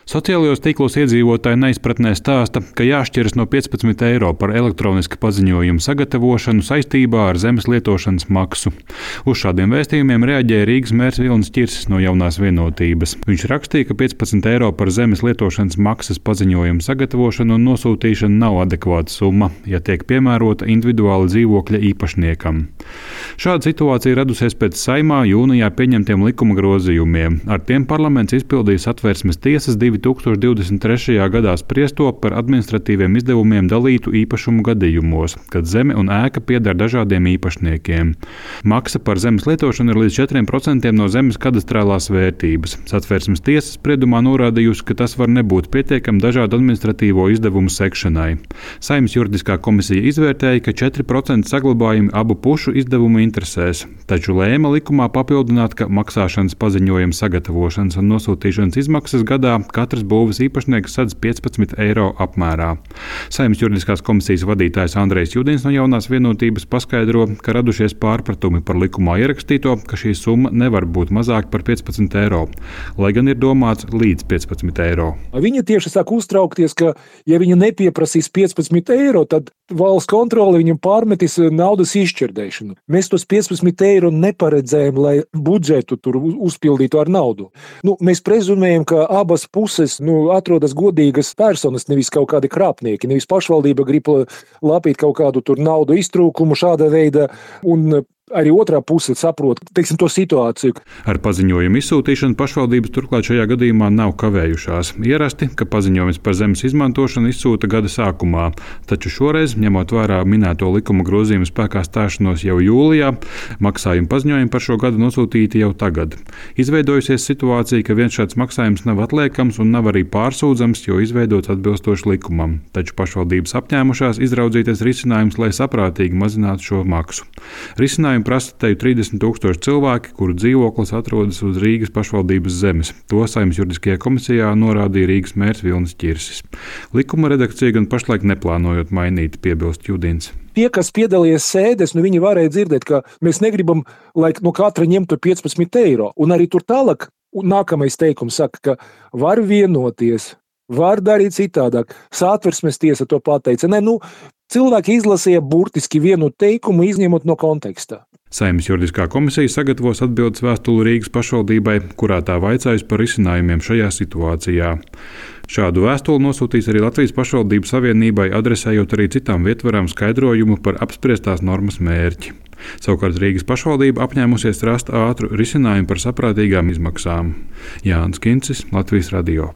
Sociālajos tīklos iedzīvotāji neizpratnē stāsta, ka jāšķiras no 15 eiro par elektroniska paziņojuma sagatavošanu saistībā ar zemes lietošanas maksu. Uz šādiem vēstījumiem reaģēja Rīgas mērs Vilnis Ķirsis no Jaunās Vienotības. Viņš rakstīja, ka 15 eiro par zemes lietošanas maksas paziņojuma sagatavošanu un nosūtīšanu nav adekvāta summa, ja tiek piemērota individuāli dzīvokļa īpašniekam. Šāda situācija radusies pēc Saeimā jūnijā pieņemtiem likuma grozījumiem. Ar tiem parlaments izpildīja Satversmes tiesas 2023. gadā spriesto par administratīviem izdevumiem dalītu īpašumu gadījumos, kad zeme un ēka pieder dažādiem īpašniekiem. Maksa par zemes lietošanu ir līdz 4% no zemes kadastrālās vērtības. Satversmes tiesa spriedumā norādījusi, ka tas var nebūt pietiekami dažādu administratīvo izdevumu sekšanai. Saeimas juridiskā komisija izvērtēja, ka 4% saglabājumi abu pušu izdevumu interesēs, taču lēma likumā papildināt, ka maksāšanas paziņojuma sagatavošanas un nosūtīšanas izmaksas gadā katrs būves īpašnieks sadz 15 eiro apmērā. Saeimas juridiskās komisijas vadītājs Andrejs Judins no Jaunās Vienotības paskaidro, ka radušies pārpratumi par likumā ierakstīto, ka šī summa nevar būt mazāka par 15 eiro, lai gan ir domāts līdz 15 eiro. Viņa tieši sāk uztraukties, ka ja viņa nepieprasīs 15 eiro, tad valsts kontrole viņam pārmetīs naudas izšķirdēšanu. Mēs tos 15 eiro neparedzējam, lai budžetu tur uzpildītu ar naudu. Mēs prezumējam, ka abas puses atrodas godīgas personas, nevis kaut kādi krāpnieki, nevis pašvaldība grib lapīt kaut kādu tur naudu iztrūkumu šāda veida, un arī otrā puse saprot, to situāciju. Ar paziņojumu izsūtīšanu pašvaldības turklāt šajā gadījumā nav kavējušās. Ierasti, ka paziņojums par zemes izmantošanu izsūta gada sākumā, taču šoreiz, ņemot vērā minēto likuma grozījumu spēkā stāšanos jau jūlijā, maksājuma paziņojumi par šo gadu nosūtīti jau tagad. Izveidojusies situācija, ka viens šāds maksājums nav atliekams un nav arī pārsūdzams, jo izveidots atbilstoši likumam. Taču pašvaldības apņēmušās izraudzīties risinājums, lai saprātīgi mazinātu šo maksu. Risinājumu prasa teju 30,000 cilvēki, kuru dzīvoklis atrodas uz Rīgas pašvaldības zemes. To Saeimas juridiskajā komisijā norādīja Rīgas mērs Vilnis Ķirsis. Likuma redakcija gan pašlaik neplānojot mainīt, piebilst Judins. Tie, kas piedalījās sēdēs, viņi varēja dzirdēt, ka mēs negribam, lai no katra ņemtu 15 eiro. Un arī tur tālāk nākamais teikums saka, ka var vienoties, var darīt citādāk. Satversmes tiesa to pateica. Cilvēki izlasīja burtiski vienu teikumu, izņemot no konteksta. Saeimas juridiskā komisija sagatavos atbildes vēstuli Rīgas pašvaldībai, kurā tā vaicājusi par risinājumiem šajā situācijā. Šādu vēstuli nosūtīs arī Latvijas pašvaldību savienībai, adresējot arī citām vietvarām skaidrojumu par apspriestās normas mērķi. Savukārt Rīgas pašvaldība apņēmusies rast ātru risinājumu par saprātīgām izmaksām. Jānis Kincis, Latvijas radio.